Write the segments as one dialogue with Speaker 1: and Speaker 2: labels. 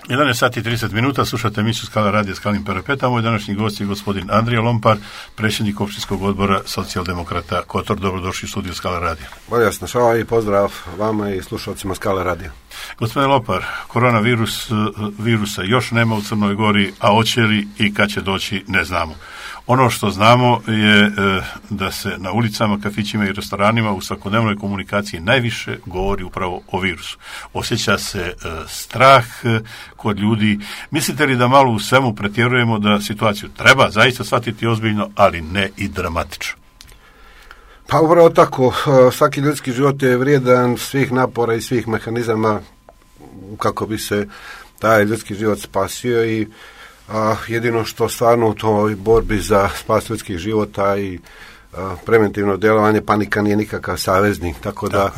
Speaker 1: 11 sati i 30 minuta, slušate emisiju Skala radija Skalnim parapetama. Moj današnji gost je gospodin Andrija Lompar, predsjednik općinskog odbora Socijaldemokrata Kotor. Dobrodošli u studiju Skala radija.
Speaker 2: Bolje vas našao i pozdrav vama i slušalcima Skala radija.
Speaker 1: Gospodin Lompar, virusa još nema u Crnoj Gori, a hoće li i kad će doći ne znamo. Ono što znamo je da se na ulicama, kafićima i restoranima u svakodnevnoj komunikaciji najviše govori upravo o virusu. Osjeća se strah kod ljudi. Mislite li da malo u svemu pretjerujemo, da situaciju treba zaista shvatiti ozbiljno, ali ne i dramatično?
Speaker 2: Pa upravo tako. Svaki ljudski život je vrijedan svih napora i svih mehanizama kako bi se taj ljudski život spasio i jedino što stvarno u toj borbi za spas ljudskih života i preventivno djelovanje, panika nije nikakav saveznik, tako da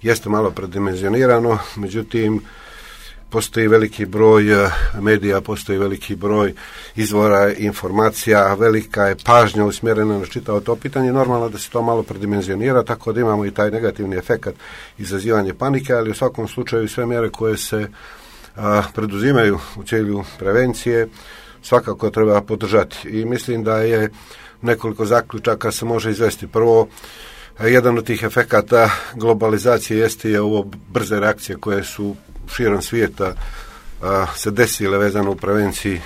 Speaker 2: jeste malo predimenzionirano, međutim postoji veliki broj medija, postoji veliki broj izvora informacija, velika je pažnja usmjerena na čitavo to pitanje, normalno da se to malo predimenzionira, tako da imamo i taj negativni efekt izazivanje panike, ali u svakom slučaju sve mjere koje se preduzimaju u cilju prevencije svakako treba podržati i mislim da je nekoliko zaključaka se može izvesti. Prvo, jedan od tih efekata globalizacije jeste je ovo brze reakcije koje su širom svijeta se desile vezano u prevenciji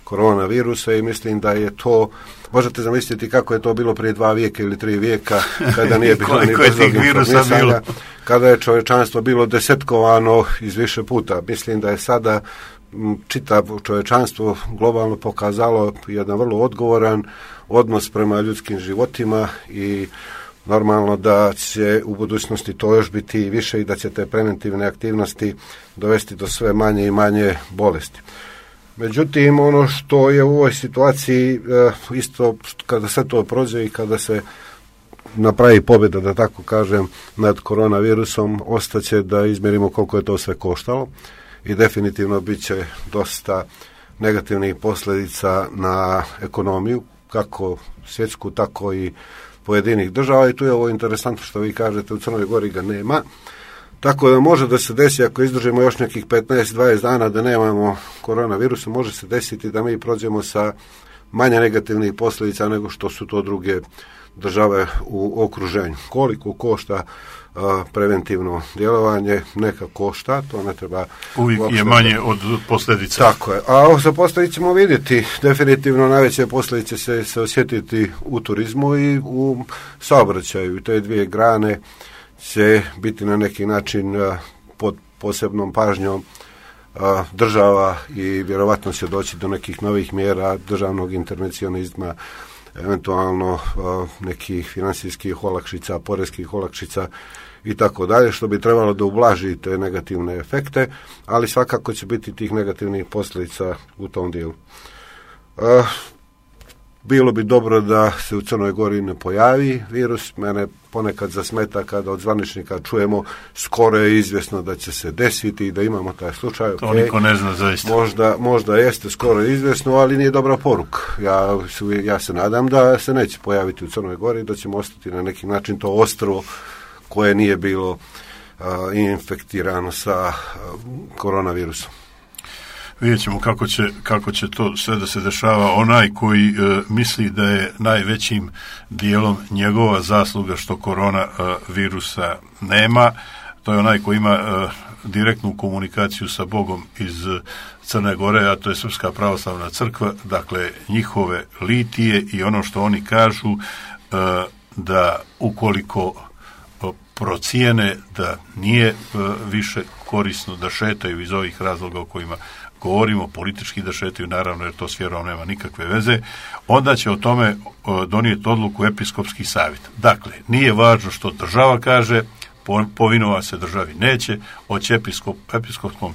Speaker 2: koronavirusa i mislim da je to, možete zamisliti kako je to bilo prije 2 vijeka ili 3 vijeka kada nije bilo ni brzog informisanja, kada je čovječanstvo bilo desetkovano iz više puta. Mislim da je sada čitavo čovječanstvo globalno pokazalo jedan vrlo odgovoran odnos prema ljudskim životima i normalno da će u budućnosti to još biti više i da će te preventivne aktivnosti dovesti do sve manje i manje bolesti. Međutim, ono što je u ovoj situaciji isto kada sve to prođe i kada se napravi pobjeda, da tako kažem, nad koronavirusom, ostaće da izmjerimo koliko je to sve koštalo i definitivno bit će dosta negativnih posljedica na ekonomiju, kako svjetsku, tako i pojedinih država i tu je ovo interesantno što vi kažete, u Crnoj Gori ga nema. Tako da može da se desi, ako izdržimo još nekih 15-20 dana da nemamo koronavirusa, može se desiti da mi prođemo sa manje negativnih posljedica nego što su to druge države u okruženju. Koliko košta preventivno djelovanje, neka košta, to ne treba...
Speaker 1: Uvijek je manje od posljedica.
Speaker 2: Tako je, a sa posljedice ćemo vidjeti, definitivno najveće posljedice se osjetiti u turizmu i u saobraćaju i te dvije grane će biti na neki način pod posebnom pažnjom država i vjerovatno će doći do nekih novih mjera državnog intervencionizma, eventualno nekih financijskih olakšica, poreskih olakšica i tako dalje, što bi trebalo da ublaži te negativne efekte, ali svakako će biti tih negativnih posljedica u tom dijelu. Bilo bi dobro da se u Crnoj Gori ne pojavi virus. Mene ponekad zasmeta kada od zvaničnika čujemo skoro je izvjesno da će se desiti i da imamo taj slučaj.
Speaker 1: To niko ne zna zaista.
Speaker 2: Možda jeste skoro izvjesno, ali nije dobra poruka. Ja se nadam da se neće pojaviti u Crnoj Gori, da ćemo ostati na neki način to ostrvo koje nije bilo infektirano sa koronavirusom.
Speaker 1: Vidjet ćemo kako će to sve da se dešava. Onaj koji misli da je najvećim dijelom njegova zasluga što korona virusa nema, to je onaj koji ima direktnu komunikaciju sa Bogom iz Crne Gore, a to je Srpska pravoslavna crkva, dakle njihove litije i ono što oni kažu da ukoliko procijene da nije više korisno da šetaju iz ovih razloga o kojima govorimo, politički da šetaju, naravno jer to s vjerom nema nikakve veze, onda će o tome donijeti odluku episkopski savjet. Dakle, nije važno što država kaže, povinova se državi neće, hoće episkopskom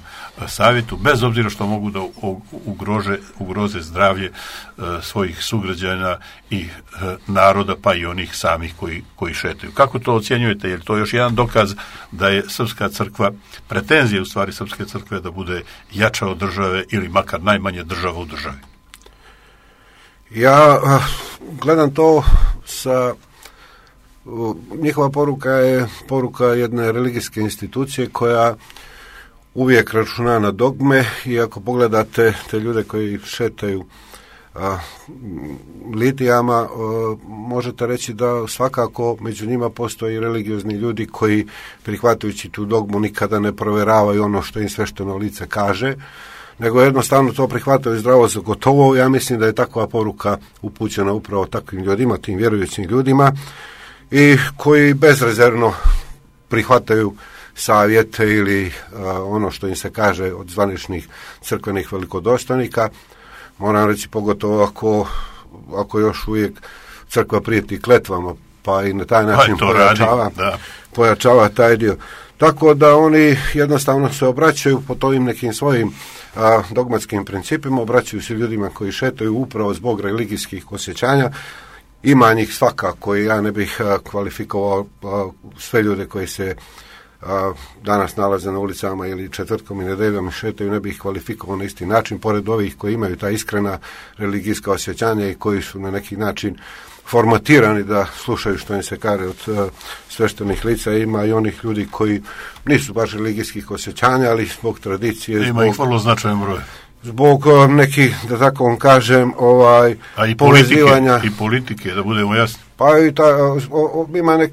Speaker 1: savjetu, bez obzira što mogu da ugroze zdravlje svojih sugrađana i naroda, pa i onih samih koji šetaju. Kako to ocjenjujete? Je li to još jedan dokaz da je Srpska crkva, pretenzija u stvari Srpske crkve da bude jača od države ili makar najmanje država u državi?
Speaker 2: Ja gledam to sa... Njihova poruka je poruka jedne religijske institucije koja uvijek računa na dogme i ako pogledate te ljude koji šetaju litijama, možete reći da svakako među njima postoji religiozni ljudi koji, prihvatajući tu dogmu, nikada ne provjeravaju ono što im svešteno lice kaže, nego jednostavno to prihvataju zdravo za gotovo. Ja mislim da je takva poruka upućena upravo takvim ljudima, tim vjerujućim ljudima, i koji bezrezervno prihvataju savjete ili ono što im se kaže od zvaničnih crkvenih velikodostojnika. Moram reći, pogotovo ako još uvijek crkva prijeti kletvama, pa i na taj način pojačava taj dio. Tako da oni jednostavno se obraćaju po tovim nekim svojim dogmatskim principima, obraćaju se ljudima koji šetaju upravo zbog religijskih osjećanja. Ima njih svakako i ja ne bih kvalifikovao sve ljude koji se danas nalaze na ulicama ili četvrtkom i nedeljom šetaju, ne bih kvalifikovao na isti način, pored ovih koji imaju ta iskrena religijska osjećanja i koji su na neki način formatirani da slušaju što im se kaže od sveštenih lica. Ima i onih ljudi koji nisu baš religijskih osjećanja, ali zbog tradicije,
Speaker 1: ima ih vrlo značajan broj,
Speaker 2: zbog nekih, da tako vam kažem,
Speaker 1: povezivanja i politike, da budemo jasni.
Speaker 2: Pa i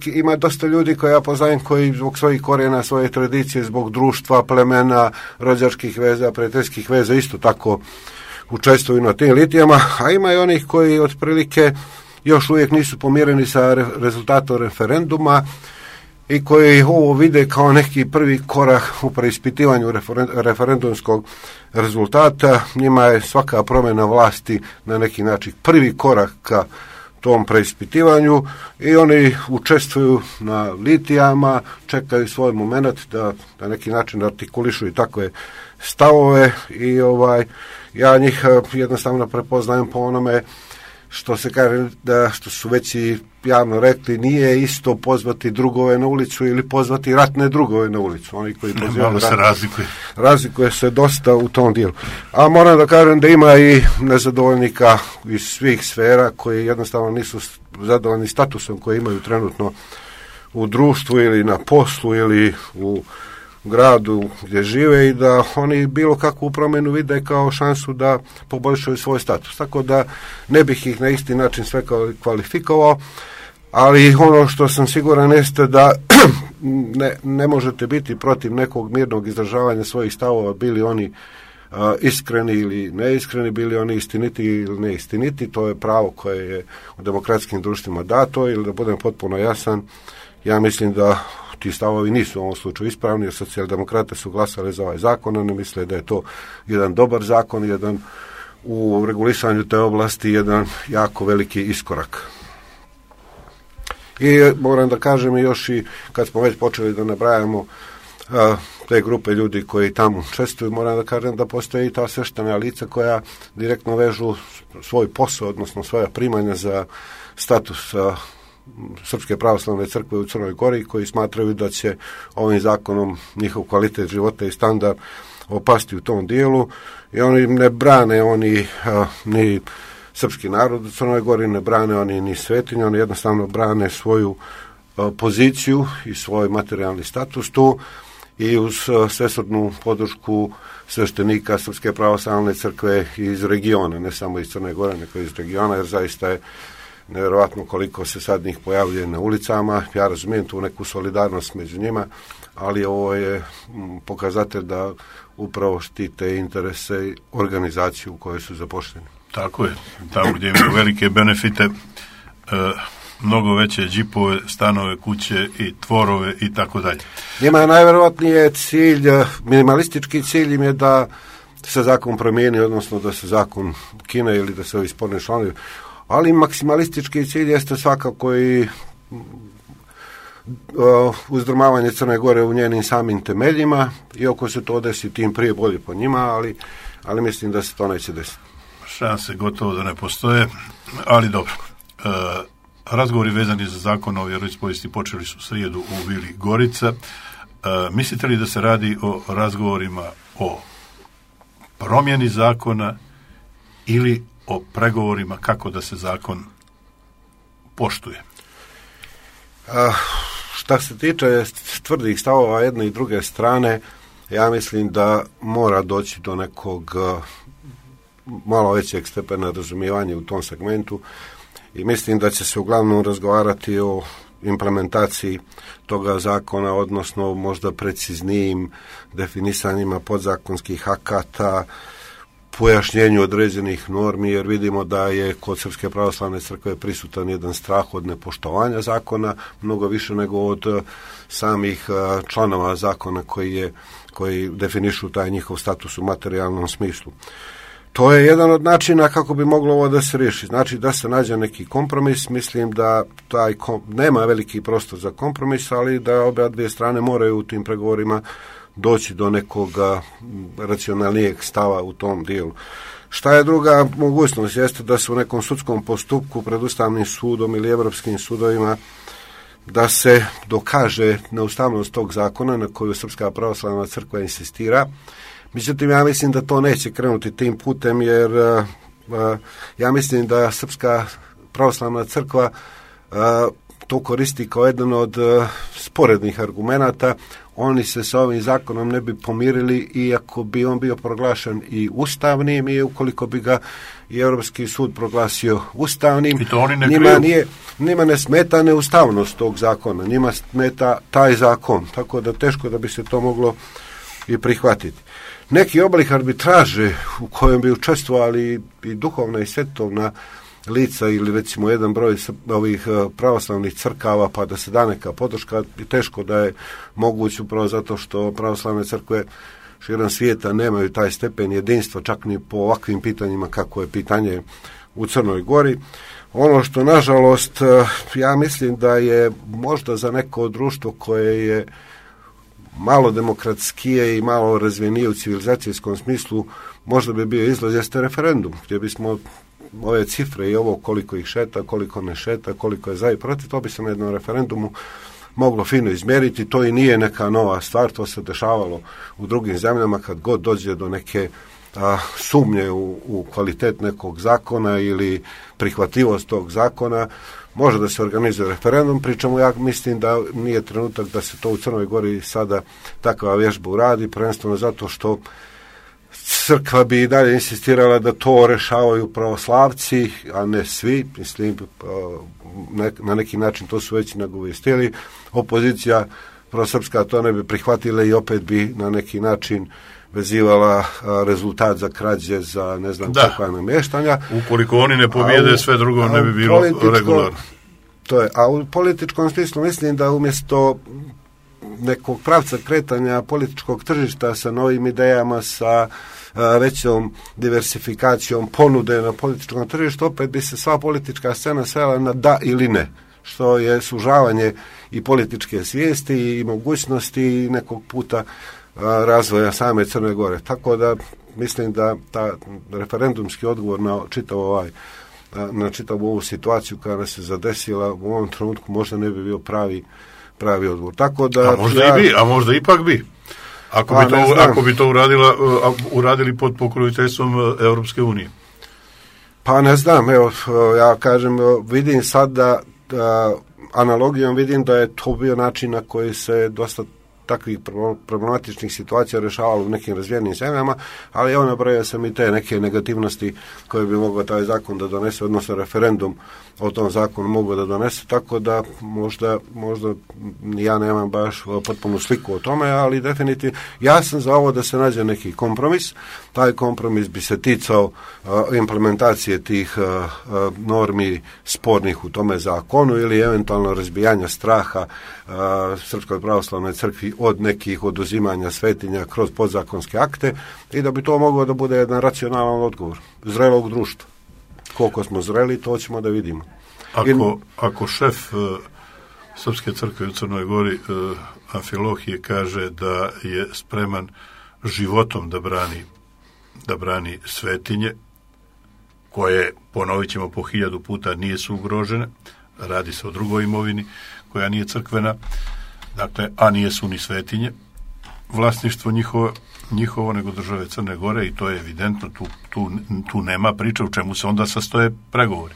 Speaker 2: ima dosta ljudi koje ja poznajem koji zbog svojih korijena, svoje tradicije, zbog društva, plemena, rođačkih veza, prijateljskih veza isto tako učestvuju na tim litijama, a ima i onih koji otprilike još uvijek nisu pomireni sa rezultatom referenduma i koji ovo vide kao neki prvi korak u preispitivanju referendumskog rezultata. Njima je svaka promjena vlasti na neki način prvi korak ka tom preispitivanju i oni učestvuju na litijama, čekaju svoj moment da na neki način artikulišu i takve stavove i ja njih jednostavno prepoznajem po onome što se kaže, da što su već i javno rekli, nije isto pozvati drugove na ulicu ili pozvati ratne drugove na ulicu. Oni koji pozivaju
Speaker 1: se
Speaker 2: razlikuje se dosta u tom dijelu. A moram da kažem da ima i nezadovoljnika iz svih sfera koji jednostavno nisu zadovoljni statusom koji imaju trenutno u društvu ili na poslu ili u gradu gdje žive i da oni bilo kakvu promjenu vide kao šansu da poboljšaju svoj status. Tako da ne bih ih na isti način sve kvalifikovao, ali ono što sam siguran jeste da ne možete biti protiv nekog mirnog izražavanja svojih stavova, bili oni iskreni ili neiskreni, bili oni istiniti ili neistiniti. To je pravo koje je u demokratskim društvima dato, ili da budem potpuno jasan, ja mislim da ti stavovi nisu u ovom slučaju ispravni, jer socijaldemokrate su glasali za ovaj zakon, oni misle da je to jedan dobar zakon, jedan u regulisanju te oblasti, jedan jako veliki iskorak. I moram da kažem još i kad smo već počeli da nabrajamo te grupe ljudi koji tamo učestvuju, moram da kažem da postoje i ta sveštena lica koja direktno vežu svoj posao, odnosno svoja primanja za status Srpske pravoslavne crkve u Crnoj Gori, koji smatraju da će ovim zakonom njihov kvalitet života i standard opasti u tom dijelu, i oni ne brane ni srpski narod u Crnoj Gori, ne brane oni ni svetinje, oni jednostavno brane svoju poziciju i svoj materijalni status tu, i uz svesrdnu podršku sveštenika Srpske pravoslavne crkve iz regiona, ne samo iz Crne Gore, nego iz regiona, jer zaista je nevjerojatno koliko se sad njih pojavljuje na ulicama. Ja razumijem tu neku solidarnost među njima, ali ovo je pokazatelj da upravo štite interese i organizaciju u kojoj su zaposleni.
Speaker 1: Tako je, tamo gdje imaju velike benefite, mnogo veće džipove, stanove, kuće i tvorove i tako dalje.
Speaker 2: Njima je najvjerojatnije cilj, minimalistički cilj im je da se zakon promijeni, odnosno da se zakon kine ili da se ovi sporni članovi, ali maksimalistički cilj jeste svakako i uzdrmavanje Crne Gore u njenim samim temeljima, i ako se to desi, tim prije bolje po njima, ali mislim da se to neće desiti.
Speaker 1: Šanse gotovo da ne postoje, ali dobro. Razgovori vezani za zakon o vjeroispovijesti počeli su srijedu u Vili Gorica. Mislite li da se radi o razgovorima o promjeni zakona ili o pregovorima kako da se zakon poštuje?
Speaker 2: Šta se tiče tvrdih stavova jedne i druge strane, ja mislim da mora doći do nekog malo većeg stepena razumijevanja u tom segmentu i mislim da će se uglavnom razgovarati o implementaciji toga zakona, odnosno možda preciznijim definisanjima podzakonskih akata, pojašnjenju određenih normi, jer vidimo da je kod Srpske pravoslavne crkve prisutan jedan strah od nepoštovanja zakona, mnogo više nego od samih članova zakona koji definišu taj njihov status u materijalnom smislu. To je jedan od načina kako bi moglo ovo da se riješi. Znači da se nađe neki kompromis. Mislim da nema veliki prostor za kompromis, ali da obe dvije strane moraju u tim pregovorima doći do nekog racionalnijeg stava u tom dijelu. Šta je druga mogućnost? Jeste da se u nekom sudskom postupku pred Ustavnim sudom ili Evropskim sudovima da se dokaže neustavnost tog zakona na koju Srpska pravoslavna crkva insistira. Međutim, ja mislim da to neće krenuti tim putem, jer ja mislim da Srpska pravoslavna crkva to koristi kao jedan od sporednih argumenata. Oni se sa ovim zakonom ne bi pomirili iako bi on bio proglašen i ustavnim i ukoliko bi ga i Europski sud proglasio ustavnim.
Speaker 1: I to oni ne
Speaker 2: njima ne smeta neustavnost tog zakona, njima smeta taj zakon, tako da teško da bi se to moglo i prihvatiti. Neki oblik arbitraže u kojem bi učestvovali i duhovna i svetovna lica ili recimo jedan broj ovih pravoslavnih crkava pa da se da neka podrška, teško da je moguće upravo zato što pravoslavne crkve širom svijeta nemaju taj stepen jedinstva čak ni po ovakvim pitanjima kako je pitanje u Crnoj Gori. Ono što nažalost ja mislim da je možda za neko društvo koje je malo demokratskije i malo razvijenije u civilizacijskom smislu, možda bi bio izlaz jeste referendum, gdje bismo ove cifre i ovo koliko ih šeta, koliko ne šeta, koliko je za i protiv, to bi se na jednom referendumu moglo fino izmjeriti. To i nije neka nova stvar, to se dešavalo u drugim zemljama kad god dođe do neke sumnje u kvalitet nekog zakona ili prihvatljivost tog zakona, može da se organizuje referendum, pričamo ja mislim da nije trenutak da se to u Crnoj Gori sada takva vježba uradi, prvenstveno zato što crkva bi i dalje insistirala da to rešavaju pravoslavci, a ne svi, mislim, na neki način to su već nagovestili, opozicija prosrpska to ne bi prihvatila i opet bi na neki način vezivala rezultat za krađe, za ne znam kakva namještanja.
Speaker 1: Ukoliko oni ne pobjede, sve drugo ne bi bilo regularno.
Speaker 2: To je, a u političkom smislu mislim da umjesto nekog pravca kretanja političkog tržišta sa novim idejama, sa većom diversifikacijom ponude na političkom tržištu, opet bi se sva politička scena svela na da ili ne, što je sužavanje i političke svijesti i mogućnosti nekog puta razvoja same Crne Gore. Tako da mislim da ta referendumski odgovor na čitavu ovu situaciju koja se zadesila u ovom trenutku možda ne bi bio pravi odgovor. Tako da
Speaker 1: a možda ipak bi. Ako bi to uradili pod pokroviteljstvom Europske unije.
Speaker 2: Pa ne znam, evo, ja kažem, vidim sad da analogijom vidim da je to bio način na koji se dosta takvih problematičnih situacija rješavalo u nekim razvijenim zemljama, ali evo nabrojao sam i te neke negativnosti koje bi mogao taj zakon da donese, odnosno referendum o tom zakonu mogao da donese, tako da možda ja nemam baš potpunu sliku o tome, ali definitivno ja sam za ovo da se nađe neki kompromis. Taj kompromis bi se ticao implementacije tih normi spornih u tome zakonu ili eventualno razbijanja straha Srpskoj pravoslavnoj crkvi od nekih oduzimanja svetinja kroz podzakonske akte i da bi to moglo da bude jedan racionalan odgovor zrelog društva. Koliko smo zreli, to ćemo da vidimo.
Speaker 1: Ako šef Srpske crkve u Crnoj Gori Amfilohije kaže da je spreman životom da brani svetinje, koje, ponovit ćemo po 1000 puta, nisu ugrožene, radi se o drugoj imovini koja nije crkvena, dakle, a nijesu ni svetinje, vlasništvo njihovo nego države Crne Gore, i to je evidentno, tu nema priče u čemu se onda sastoje pregovori.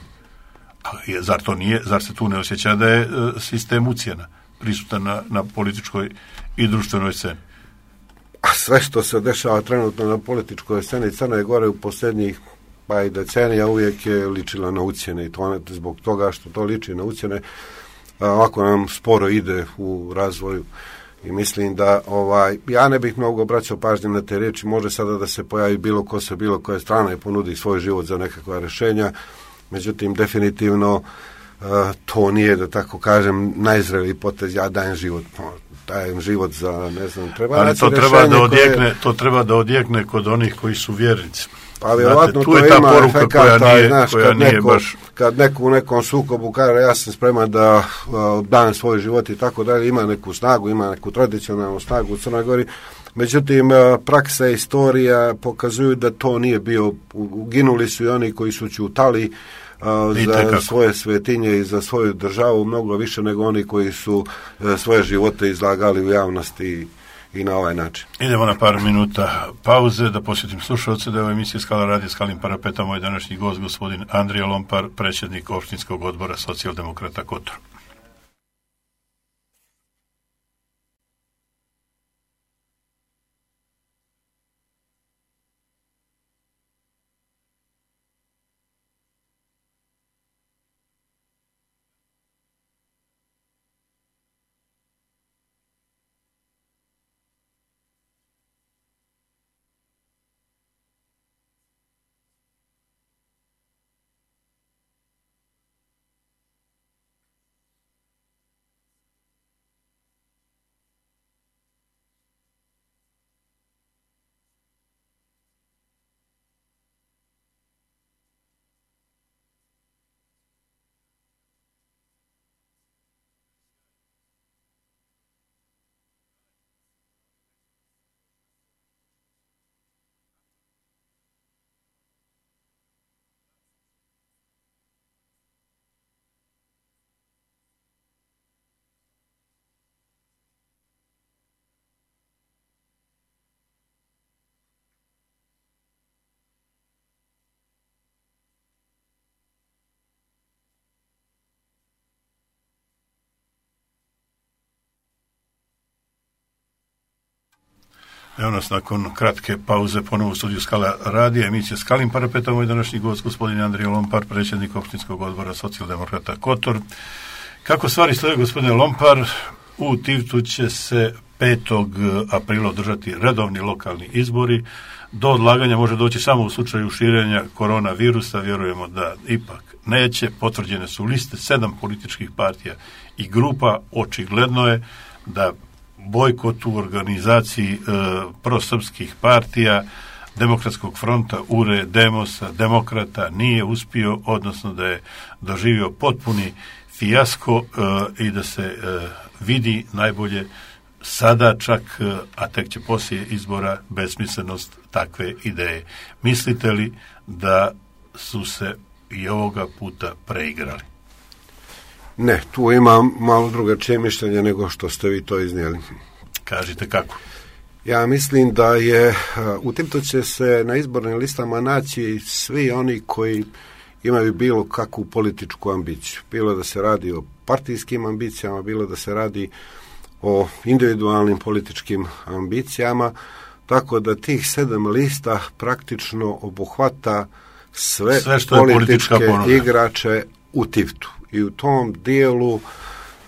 Speaker 1: Zar se tu ne osjeća da je sistem ucjena prisutan na političkoj i društvenoj sceni?
Speaker 2: a sve što se dešava trenutno na političkoj sceni Crne Gore u posljednjih pa i decenija uvijek je ličila na ucjene i to zbog toga što to liči na ucjene ovako nam sporo ide u razvoju i mislim da ja ne bih mnogo obraćao pažnje na te riječi, može sada da se pojavi bilo ko sa bilo koje strane i ponudi svoj život za nekakva rješenja, međutim definitivno to nije, da tako kažem, najzreliji potez, ja dajem život za, ne znam, treba
Speaker 1: ali to treba da odjekne kod onih koji su vjernici.
Speaker 2: Pa vjerovatno to ima efekata, kad neko u nekom sukobu kaže ja sam spreman da dam svoj život i tako dalje, ima neku snagu, ima neku tradicionalnu snagu u Crnoj Gori, međutim praksa i istorija pokazuju da to nije bio, uginuli su i oni koji su ćutali za svoje svetinje i za svoju državu mnogo više nego oni koji su svoje živote izlagali u javnosti i na ovaj način.
Speaker 1: Idemo na par minuta pauze da posjetim slušalce da je u emisiji Skala radio Skalim Parapeta moj današnji gost gospodin Andrija Lompar, predsjednik opštinskog odbora Socijaldemokrata Kotor. Evo nas nakon kratke pauze ponovo u studiju Skala radija, emisija Skalim Parapeta, moj današnji gost gospodin Andrija Lompar, predsjednik opštinskog odbora Socijaldemokrata Kotor. Kako stvari stoje, gospodine Lompar, u Tivtu će se 5. aprila održati redovni lokalni izbori. Do odlaganja može doći samo u slučaju širenja koronavirusa, vjerujemo da ipak neće. Potvrđene su liste 7 političkih partija i grupa, očigledno je da bojkot u organizaciji prosrpskih partija, Demokratskog fronta, URE, Demosa, Demokrata nije uspio, odnosno da je doživio potpuni fijasko i da se vidi najbolje sada čak, a tek će poslije izbora, besmislenost takve ideje. Mislite li da su se i ovoga puta preigrali?
Speaker 2: Ne, tu imam malo drugačije mišljenje nego što ste vi to iznijeli.
Speaker 1: Kažite kako?
Speaker 2: Ja mislim da je, u Tivtu će se na izbornim listama naći svi oni koji imaju bilo kakvu političku ambiciju. Bilo da se radi o partijskim ambicijama, bilo da se radi o individualnim političkim ambicijama, tako da tih 7 lista praktično obuhvata sve političke igrače u Tivtu. I u tom dijelu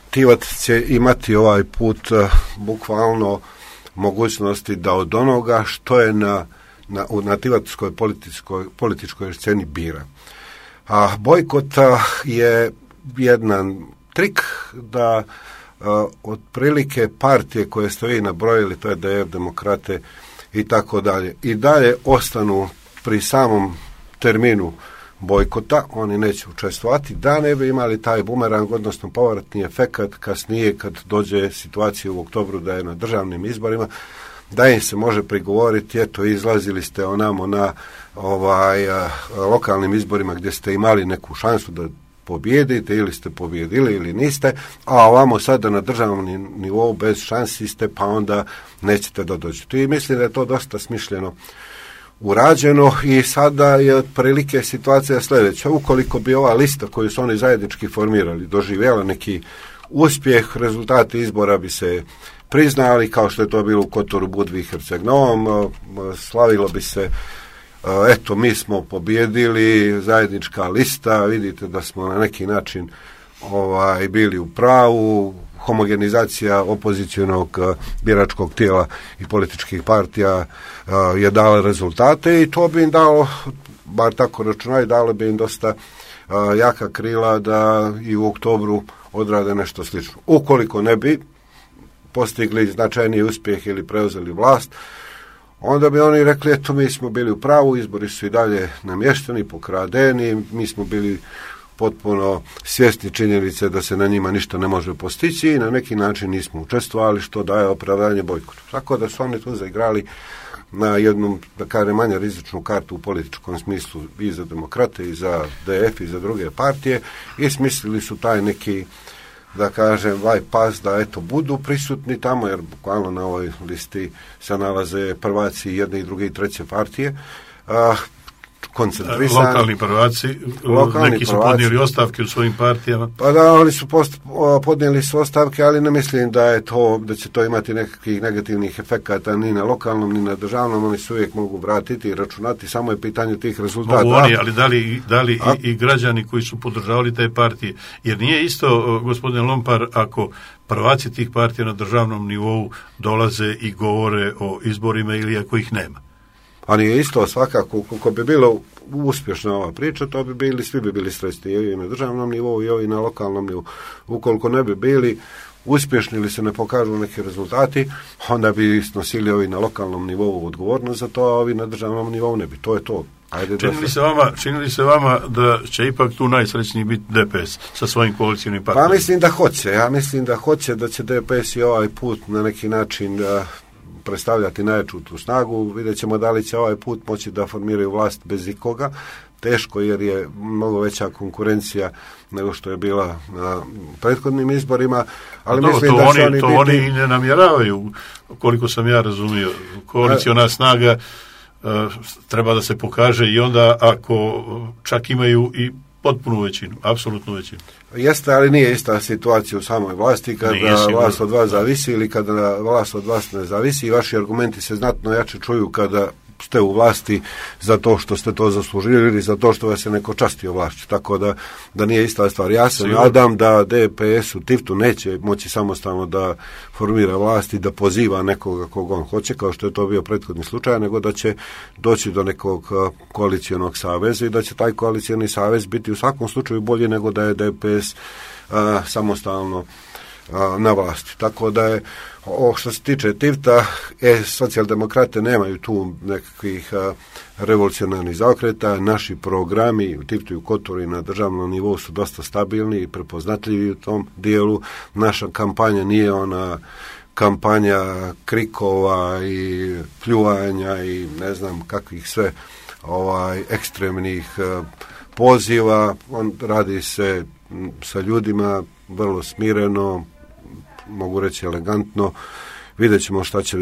Speaker 2: Tivac će imati ovaj put bukvalno mogućnosti da od onoga što je na tivatskoj političkoj sceni bira. A bojkota je jedan trik da otprilike partije koje ste vi nabrojili, to je DR, Demokrate i tako dalje, i dalje ostanu pri samom terminu bojkota, oni neće učestvovati, da ne bi imali taj bumerang, odnosno povratni efekat kasnije kad dođe situacija u oktobru da je na državnim izborima, da im se može prigovoriti, eto, izlazili ste onamo na lokalnim izborima gdje ste imali neku šansu da pobijedite, ili ste pobijedili ili niste, a ovamo sada na državnom nivou bez šansi ste, pa onda nećete da dođete. I mislim da je to dosta smišljeno urađeno i sada je otprilike situacija sljedeća. Ukoliko bi ova lista koju su oni zajednički formirali doživjela neki uspjeh, rezultati izbora bi se priznali, kao što je to bilo u Kotoru, Budvi i Herceg-Novom, slavilo bi se, eto, mi smo pobjedili, zajednička lista, vidite da smo na neki način bili u pravu, homogenizacija opozicionog biračkog tijela i političkih partija je dala rezultate i to bi im dalo, bar tako računaju, dalo bi im dosta jaka krila da i u oktobru odrade nešto slično. Ukoliko ne bi postigli značajniji uspjeh ili preuzeli vlast, onda bi oni rekli, eto, mi smo bili u pravu, izbori su i dalje namješteni, pokradeni, mi smo bili potpuno svjesni činjenice da se na njima ništa ne može postići i na neki način nismo učestvovali, što daje opravdanje bojkotu. Tako da su oni tu zaigrali na jednu, da kažem, manje rizičnu kartu u političkom smislu i za demokrate i za DF i za druge partije i smislili su taj neki, da kažem, pas da eto budu prisutni tamo, jer bukvalno na ovoj listi se nalaze prvaci jedne i druge i treće partije, koncentrisani.
Speaker 1: Lokalni prvaci, neki su podnijeli ostavke u svojim partijama.
Speaker 2: Pa da, oni su podnijeli su ostavke, ali ne mislim da će to imati nekakvih negativnih efekata ni na lokalnom, ni na državnom, oni se uvijek mogu vratiti i računati, samo je pitanje tih rezultata.
Speaker 1: Mogu oni, ali da li i građani koji su podržavali te partije, jer nije isto, gospodine Lompar, ako prvaci tih partija na državnom nivou dolaze i govore o izborima ili ako ih nema.
Speaker 2: A nije isto, svakako, ukoliko bi bilo uspješna ova priča, to bi bili, svi bi bili sretni, i na državnom nivou i ovi na lokalnom nivou. Ukoliko ne bi bili uspješni ili se ne pokažu neki rezultati, onda bi snosili ovi na lokalnom nivou odgovornost za to, a ovi na državnom nivou ne bi. To je to.
Speaker 1: Čini li se vama da će ipak tu najsrećniji biti DPS sa svojim koalicijnim partnerima?
Speaker 2: Pa mislim da hoće. Ja mislim da hoće, da će DPS i ovaj put na neki način predstavljati najjaču tu snagu. Vidjet ćemo da li će ovaj put moći da formiraju vlast bez ikoga. Teško, jer je mnogo veća konkurencija nego što je bila na prethodnim izborima. Ali mislim da će oni biti...
Speaker 1: oni i ne namjeravaju, koliko sam ja razumio. Koalicijona snaga treba da se pokaže i onda ako čak imaju i potpunu većinu, apsolutnu većinu.
Speaker 2: Jeste, ali nije ista situacija u samoj vlasti kada vlast od vas zavisi ili kada vlast od vas ne zavisi i vaši argumenti se znatno jače čuju kada ste u vlasti za to što ste to zaslužili ili za to što vas je neko častio vlašću. Tako da nije ista stvar. Ja se nadam da DPS u Tivtu neće moći samostalno da formira vlast i da poziva nekoga koga on hoće, kao što je to bio prethodni slučaj, nego da će doći do nekog koalicijonog saveza i da će taj koalicijoni savez biti u svakom slučaju bolji nego da je DPS samostalno na vlasti. Tako da je, što se tiče Tivta, socijaldemokrate nemaju tu nekakvih revolucionarnih zaokreta. Naši programi u Tivtu i u Kotoru i na državnom nivou su dosta stabilni i prepoznatljivi u tom dijelu. Naša kampanja nije ona kampanja krikova i pljuvanja i ne znam kakvih sve ekstremnih poziva. On radi se sa ljudima vrlo smireno, mogu reći elegantno. Vidjet ćemo šta će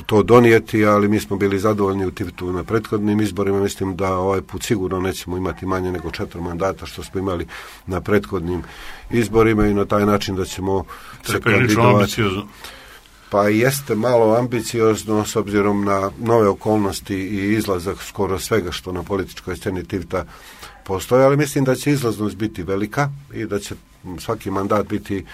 Speaker 2: to donijeti, ali mi smo bili zadovoljni u Tivtu na prethodnim izborima. Mislim da ovaj put sigurno nećemo imati manje nego 4 mandata što smo imali na prethodnim izborima i na taj način da ćemo se kandidovati. Pa jeste malo ambiciozno s obzirom na nove okolnosti i izlazak skoro svega što na političkoj sceni Tivta postoji, ali mislim da će izlaznost biti velika i da će svaki mandat biti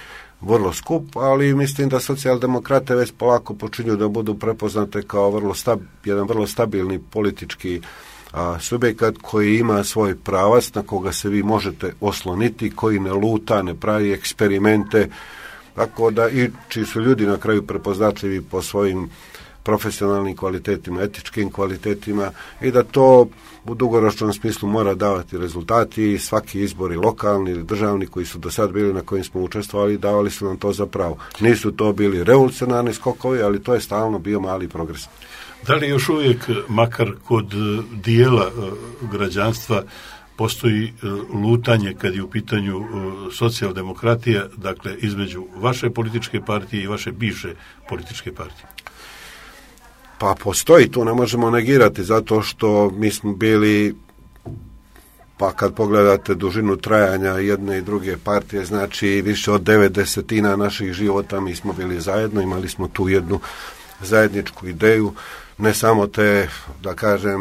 Speaker 2: vrlo skup, ali mislim da socijaldemokrate već polako počinju da budu prepoznate kao jedan vrlo stabilni politički subjekat koji ima svoj pravac na koga se vi možete osloniti, koji ne luta, ne pravi eksperimente, tako da i čiji su ljudi na kraju prepoznatljivi po svojim profesionalnim kvalitetima, etičkim kvalitetima i da to u dugoročnom smislu mora davati rezultati i svaki izbori lokalni ili državni koji su do sad bili na kojim smo učestvovali davali su nam to za pravo. Nisu to bili revolucionarni skokovi, ali to je stalno bio mali progres.
Speaker 1: Da li još uvijek, makar kod dijela građanstva, postoji lutanje kad je u pitanju socijaldemokratija, dakle između vaše političke partije i vaše bivše političke partije?
Speaker 2: Pa postoji, tu ne možemo negirati, zato što mi smo bili pa kad pogledate dužinu trajanja jedne i druge partije, znači više od 90% naših života mi smo bili zajedno, imali smo tu jednu zajedničku ideju, ne samo te, da kažem,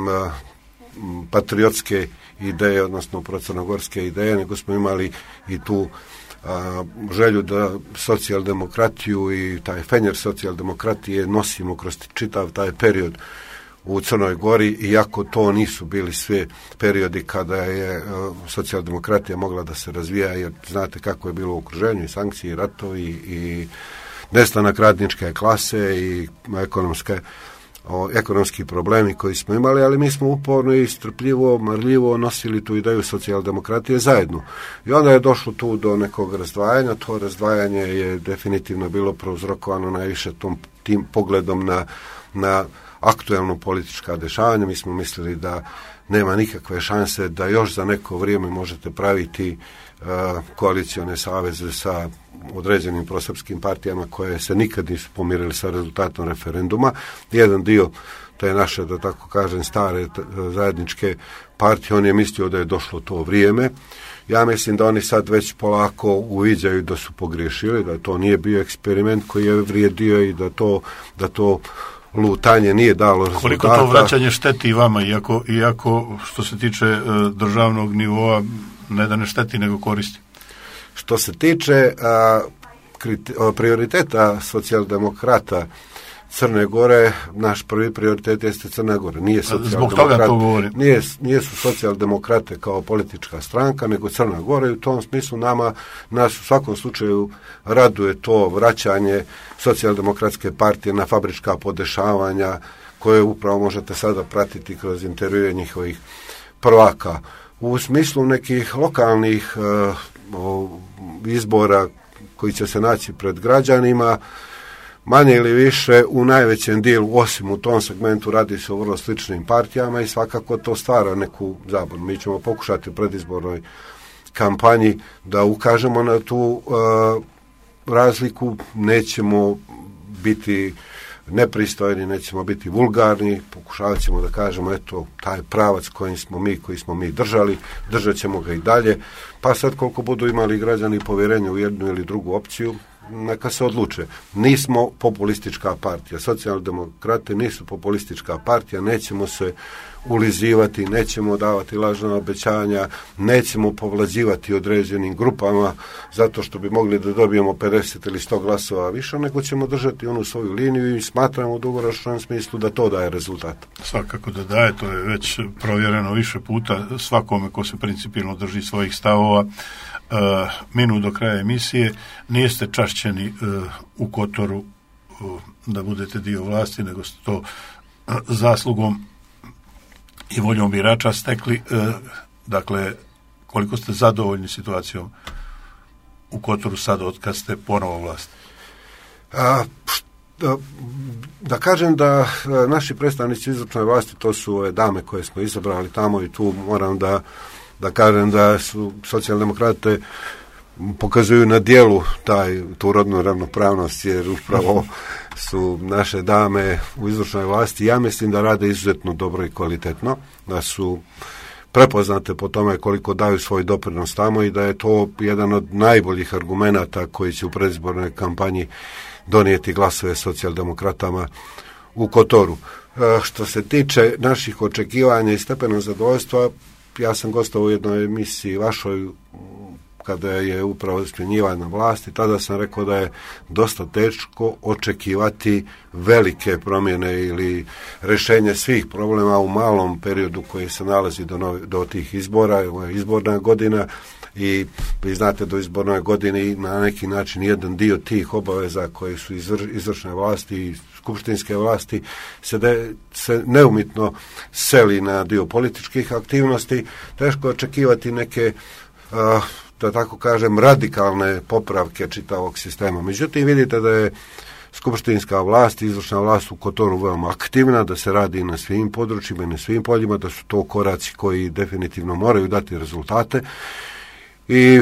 Speaker 2: patriotske ideje, odnosno procrnogorske ideje, nego smo imali i tu želju da socijaldemokratiju i taj fenjer socijaldemokratije nosimo kroz čitav taj period u Crnoj Gori, iako to nisu bili sve periodi kada je socijaldemokratija mogla da se razvija, jer znate kako je bilo u okruženju, i sankcije, i ratovi, i nestanak radničke klase, i ekonomski problemi koji smo imali, ali mi smo uporno i strpljivo, marljivo nosili tu ideju socijaldemokratije zajedno. I onda je došlo tu do nekog razdvajanja. To razdvajanje je definitivno bilo prouzrokovano najviše tim pogledom na aktuelno politička dešavanja. Mi smo mislili da nema nikakve šanse da još za neko vrijeme možete praviti koalicione saveze sa određenim prosrpskim partijama koje se nikad nisu pomirili sa rezultatom referenduma. Jedan dio te naše, da tako kažem, stare zajedničke partije, on je mislio da je došlo to vrijeme. Ja mislim da oni sad već polako uviđaju da su pogriješili, da to nije bio eksperiment koji je vrijedio i da to lutanje nije dalo rezultata.
Speaker 1: Koliko to vraćanje šteti vama, iako što se tiče državnog nivoa, ne da ne šteti, nego koristi?
Speaker 2: Što se tiče prioriteta socijaldemokrata Crne Gore, naš prvi prioritet jeste Crna Gora.
Speaker 1: Zbog toga to govorim.
Speaker 2: Nisu socijaldemokrate kao politička stranka, nego Crna Gora, i u tom smislu nas u svakom slučaju raduje to vraćanje socijaldemokratske partije na fabrička podešavanja koje upravo možete sada pratiti kroz intervjue njihovih prvaka. U smislu nekih lokalnih izbora koji će se naći pred građanima, manje ili više u najvećem dijelu, osim u tom segmentu, radi se o vrlo sličnim partijama i svakako to stvara neku zabunu. Mi ćemo pokušati u predizbornoj kampanji da ukažemo na tu razliku, nećemo biti nepristojni, nećemo biti vulgarni, pokušavat ćemo da kažemo, eto, taj pravac koji smo mi držali, držat ćemo ga i dalje, pa sad koliko budu imali građani povjerenje u jednu ili drugu opciju, neka se odluče. Nismo populistička partija, socijaldemokrati nisu populistička partija, nećemo se ulizivati, nećemo davati lažna obećanja, nećemo povlađivati određenim grupama zato što bi mogli da dobijemo 50 ili 100 glasova više, nego ćemo držati onu svoju liniju i smatramo u dugoročnom smislu da to daje rezultat.
Speaker 1: Svakako da daje, to je već provjereno više puta svakome ko se principijelno drži svojih stavova. Minut do kraja emisije, niste čašćeni u Kotoru da budete dio vlasti, nego ste to zaslugom i voljom birača stekli. Dakle, koliko ste zadovoljni situacijom u Kotoru sad od kad ste ponovo vlast?
Speaker 2: Da kažem da naši predstavnici izvršne vlasti, to su ove dame koje smo izabrali tamo, i tu moram da kažem da su socijaldemokrate pokazuju na dijelu tu rodnu ravnopravnost, jer upravo su naše dame u izvršnoj vlasti, ja mislim da rade izuzetno dobro i kvalitetno, da su prepoznate po tome koliko daju svoj doprinos tamo i da je to jedan od najboljih argumenata koji će u predizbornoj kampanji donijeti glasove socijaldemokratama u Kotoru. Što se tiče naših očekivanja i stepenog zadovoljstva, ja sam gostovao u jednoj emisiji vašoj kada je upravo smjenjivana vlasti, tada sam rekao da je dosta teško očekivati velike promjene ili rješenje svih problema u malom periodu koji se nalazi do tih izbora. Ovo je izborna godina i vi znate do izbornoj godine i na neki način jedan dio tih obaveza koji su izvršne vlasti i skupštinske vlasti se neumitno seli na dio političkih aktivnosti. Teško očekivati neke da tako kažem, radikalne popravke čitavog sistema. Međutim, vidite da je skupštinska vlast, izvršna vlast u Kotoru veoma aktivna, da se radi na svim područjima i na svim poljima, da su to koraci koji definitivno moraju dati rezultate. I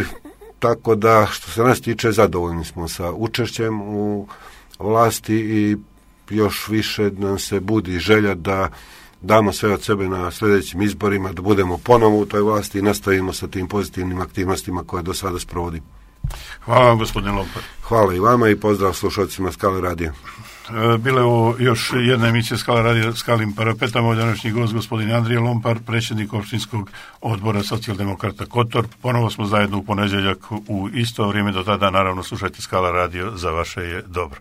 Speaker 2: tako da, što se nas tiče, zadovoljni smo sa učešćem u vlasti i još više nam se budi želja da damo sve od sebe na sljedećim izborima, da budemo ponovo u toj vlasti i nastavimo sa tim pozitivnim aktivnostima koje do sada sprovodi.
Speaker 1: Hvala vam, gospodin Lompar.
Speaker 2: Hvala i vama i pozdrav slušalcima Skale radija.
Speaker 1: Bila je ovo još jedna emisija Skala radija Skalim parapetama. Od današnji gost gospodin Andrija Lompar, predsjednik opštinskog odbora Socijaldemokrata Kotor. Ponovo smo zajedno u ponedjeljak u isto vrijeme. Do tada naravno slušajte Skala radio, za vaše je dobro.